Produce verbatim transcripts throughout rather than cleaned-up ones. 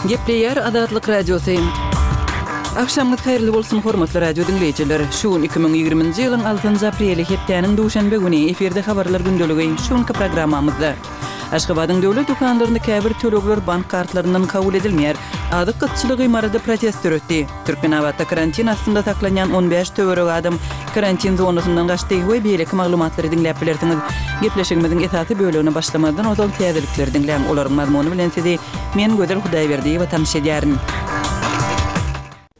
Gepleýär Azatlyk Radiosy. Agşamyňyz haýyrly bolsun, hormatly radio diňleýjiler. Şu gün iki müň ýigriminji ýylyň altynjy apreli, hepdäniň duşenbe güni, efirde Habarlar gündeligi. Şu günki programmamyzda Aşgabadyň döwlet dükanlarynda käbir tölegler bank kartlaryndan kabul edilmeýär. Azyk gytçylygy Maryda protest döretdi. Türkmenabatda karantin astynda saklanýan on bäş töweregi adam karantin zonasyndan gaçdy we beýleki maglumatlary diňläp bilersiňiz. Gepleşigimiziň esasy bölegine başlamazdan ozal täzelikleri diňläň. Olaryň mazmuny bilen sizi men Gözel Hudaýberdiýewa tanyş edýärin.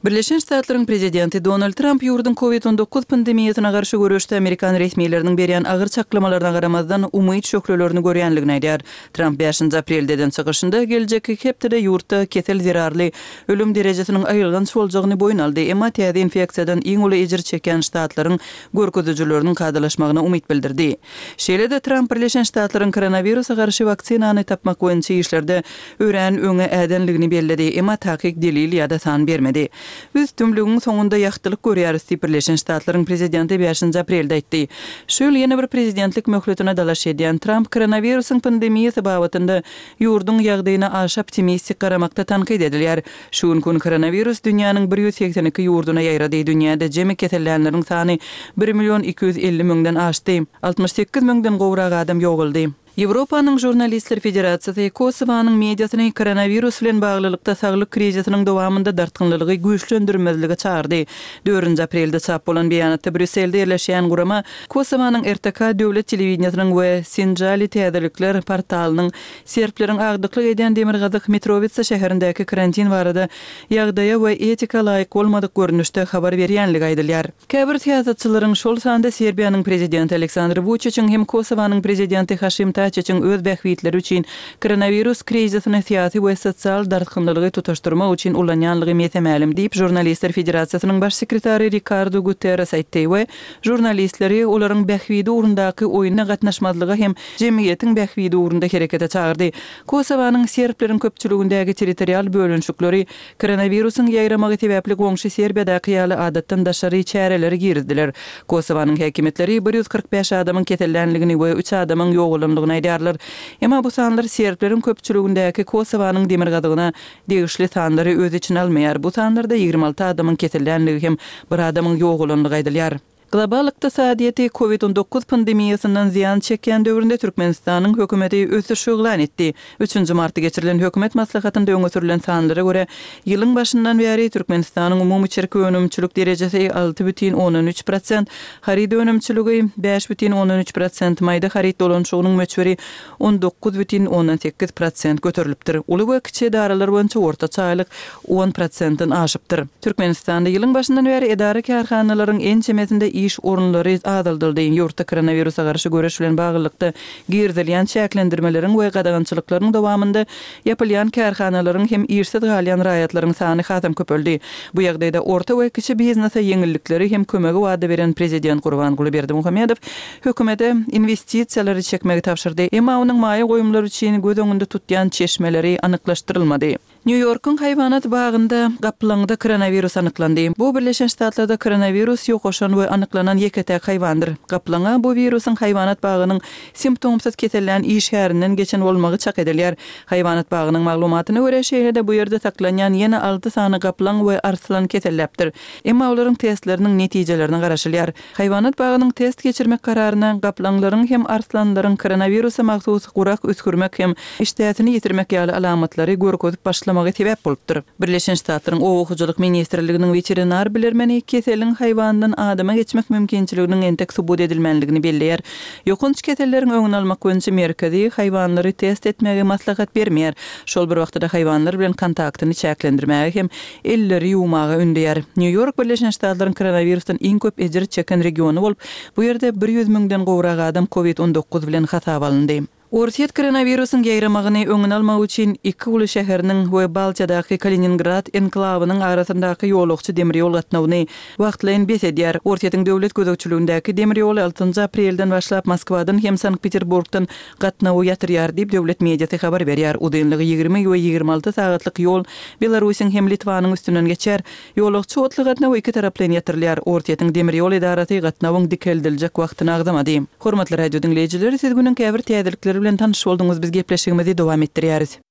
Birleşen Ştatlaryň prezidenti Donald Tramp ýurduň Covid on dokuz pandemiýasyna garşy göreşde amerikan resmileriniň berýän agyr çaklamalaryna garamazdan, umyt şöhlelerini görýänligini aýdýar. Tramp bäşinji aprelde eden çykyşynda geljekki hepdede ýurtda kesel zerarly ölüm derejesiniň aýylganç boljagyny boýun aldy, emma täze infeksiýadan iň uly ejir çekýän ştatlaryň görkezijileriniň kadalaşmagyna umyt bildirdi. Şeýle-de Tramp Birleşen Ştatlaryň koronawirusa garşy waksinany tapmak boýunça işlerde örän öňe ädenligini belledi, emma takyk delil ýa-da san bermedi. Biz tümlügiň soňunda ýagtylyk görýäris diýip, Birleşen Ştatlaryň prezidenti bäşinji aprelde aýtdy. Şu ýyl ýene bir prezidentlik möhletine dalaş edýän Tramp koronawirusyň pandemiýasy babatynda ýurduň ýagdaýyna aşa optimistik garamakda tankyt edilýär. Şu günki gün koronawirus dünýäniň bir ýüz segsen iki ýurduna ýaýrady, dünýäde jemi kesellänleriň sany bir million iki ýüz elli müňden aşdy, altmyş sekiz müňden gowrak adam ýogaldy. Ýewropanyň Žurnalistler federasiýasy Kosowanyň mediasyny koronawirus bilen baglylykda saglyk krizisiniň dowamynda dartgynlylygy güýçlendirmezlige çagyrdy. Dördünji aprelde çap bolan beýanatda Brýusselde ýerleşýän gurama Kosowanyň R T K döwlet telewideniýesiniň we Sinjali täzelikler portalynyň serbleriň agdyklyk edýän demirgazyk Mitrowitsa şäherindäki karantin barada ýagdaýa we etika laýyk bolmadyk görnüşde habar berýänligi aýdylýar. Käbir syýasatçylaryň, şol sanda Serbiýanyň prezidenti Aleksandr Wuçiçiň hem Kosowanyň prezidenti Haşim Taçiçiň öz bähbitleri üçin koronawirus krizisini syýasy we sosial dartgynlylygy tutaşdyrmak üçin ulanýanlygy mese-mälim diýip, Žurnalistler federasiýasynyň baş sekretary Rikardo Guterres aýtdy we žurnalistleri olaryň bähbidi ugrundaky oýuna gatnaşmazlyga hem jemgyýetiň bähbidi ugrunda herekete çagyrdy. Kosowanyň serbleriň köpçüligindäki territorial bölünişikleri koronawirusyň ýaýramagy sebäpli goňşy Serbiýadaky ýaly adatdan daşary çäreleri girizdiler. Kosowanyň häkimiýetleri bir ýüz kyrk bäş adamyň kesellänligini we üç adamyň ýogalandygyny aýdýarlar. Emma bu sanlar serbleriň köpçüligindäki Kosowanyň demirgazygyna degişli sanlary öz içine almaýar. Bu sanlarda ýigrimi alty adamyň kesellänligi hem bir adamyň ýogalandygy aýdylýar. Global ykdysadyýeti Covid on dokuz pandemiýasyndan zyýan çekýän döwründe Türkmenistanyň hökümeti ösüş yglan etdi. Üçünji martda geçirilen hökümet maslahatynda öňe sürlen sanlara görä, ýylyň başyndan bäri Türkmenistanyň umumy içerki önümçilik derejesi alty bütin ondan üç prosent, haryt önümçiligi bäş bütin ondan üç prosent, maýda haryt dolanyşygynyň möçberi on dokuz bütin ondan sekiz prosent göterilipdir. Uly we kiçi edaralar boýunça ortaça aýlyk on prosentden aşypdyr. Türkmenistanda ýylyň başyndan bäri edara-kärhanalaryň ençemesinde iş orunlary azaldyldy. Ýurtda koronawirusa garşy göreş bilen baglylykda girizilýän çäklendirmeleriň we gadagançylyklaryň dowamynda ýapylýan kärhanalaryň hem işsiz galýan raýatlaryň sany hasam köpeldi. Bu ýagdaýda orta we kiçi biznese ýeňillikleri hem kömegi wada beren prezident Gurbanguly Berdimuhamedow hökümete inwestisiýalary çekmegi tabşyrdy. Emma onuň maýa goýumlary üçin göz öňünde tutýan çeşmeleri anyklaşdyrylmady. Nýu-Ýorkuň haýwanat bagynda gaplaňda koronawirus anyklandy. Bu Birleşen Ştatlarda koronawirus ýokaşan we anyklanan ýeke-täk haýwandyr. Gaplaňa bu wirusyň haýwanat bagynyň simptomsyz kesellän işgärinden geçen bolmagy çak edilýär. Haýwanat bagynyň maglumatyna görä, şeýle-de bu ýerde saklanýan ýene alty sany gaplaň we arslan keselläpdir. Emma olaryň testleriniň netijelerine garaşylýar. Haýwanat bagynyň test geçirmek kararyna gaplaňlaryň hem arslanlaryň koronawirusa mahsus gurak üsgürmek hem işdäsini ýitirmek ýaly alamatlary görkezip başlamagy sebäp bolupdyr. Birleşen Ştatlaryň Oba hojalyk ministrliginiň weterinar bilermeni keseliň haýwandan adama geçmek mümkinçiliginiň entek subut edilmänligini belleýär. Ýokanç keselleriň öňüni almak boýunça merkezi haýwanlary test etmegi maslahat bermeýär. Şol bir wagtda-da haýwanlar bilen kontaktyny çäklendirmäge hem elleri ýuwmaga ündeýär. Nýu-Ýork Birleşen Ştatlaryň koronawirusdan iň köp ejir çeken regiony bolup, bu ýerde bir ýüz müňden gowrak adam Covid on dokuz bilen hasaba alyndy. Orsýet koronawirusyň ýaýramagyny öňüni almak üçin iki uly şäheriniň we Baltiýadaky Kaliningrad enklawynyň arasyndaky ýolagçy demir ýol gatnawyny wagtlaýyn bes edýär. Orsýetiň döwlet gözegçiligindäki demir ýoly altynjy aprelden başlap Moskwadan hem Sankt-Peterburgdan gatnawy ýatyrýar diýip, döwlet mediasy habar berýär. Uzynlygy ýigrimi we ýigrimi alty sagatlyk ýol Belarusyň hem Litwanyň üstünden geçýär. Ýolagçy otly gatnawy iki taraplaýyn ýatyrylýar. Orsýetiň demir ýol edarasy gatnawyň dikeldiljek wagtyny agzamady. Hormatly radio diňleýjiler, siz günüň käbir täzelikleri bilen tanyş bolduňyz, biz gepleşigimizi dowam etdirýäris.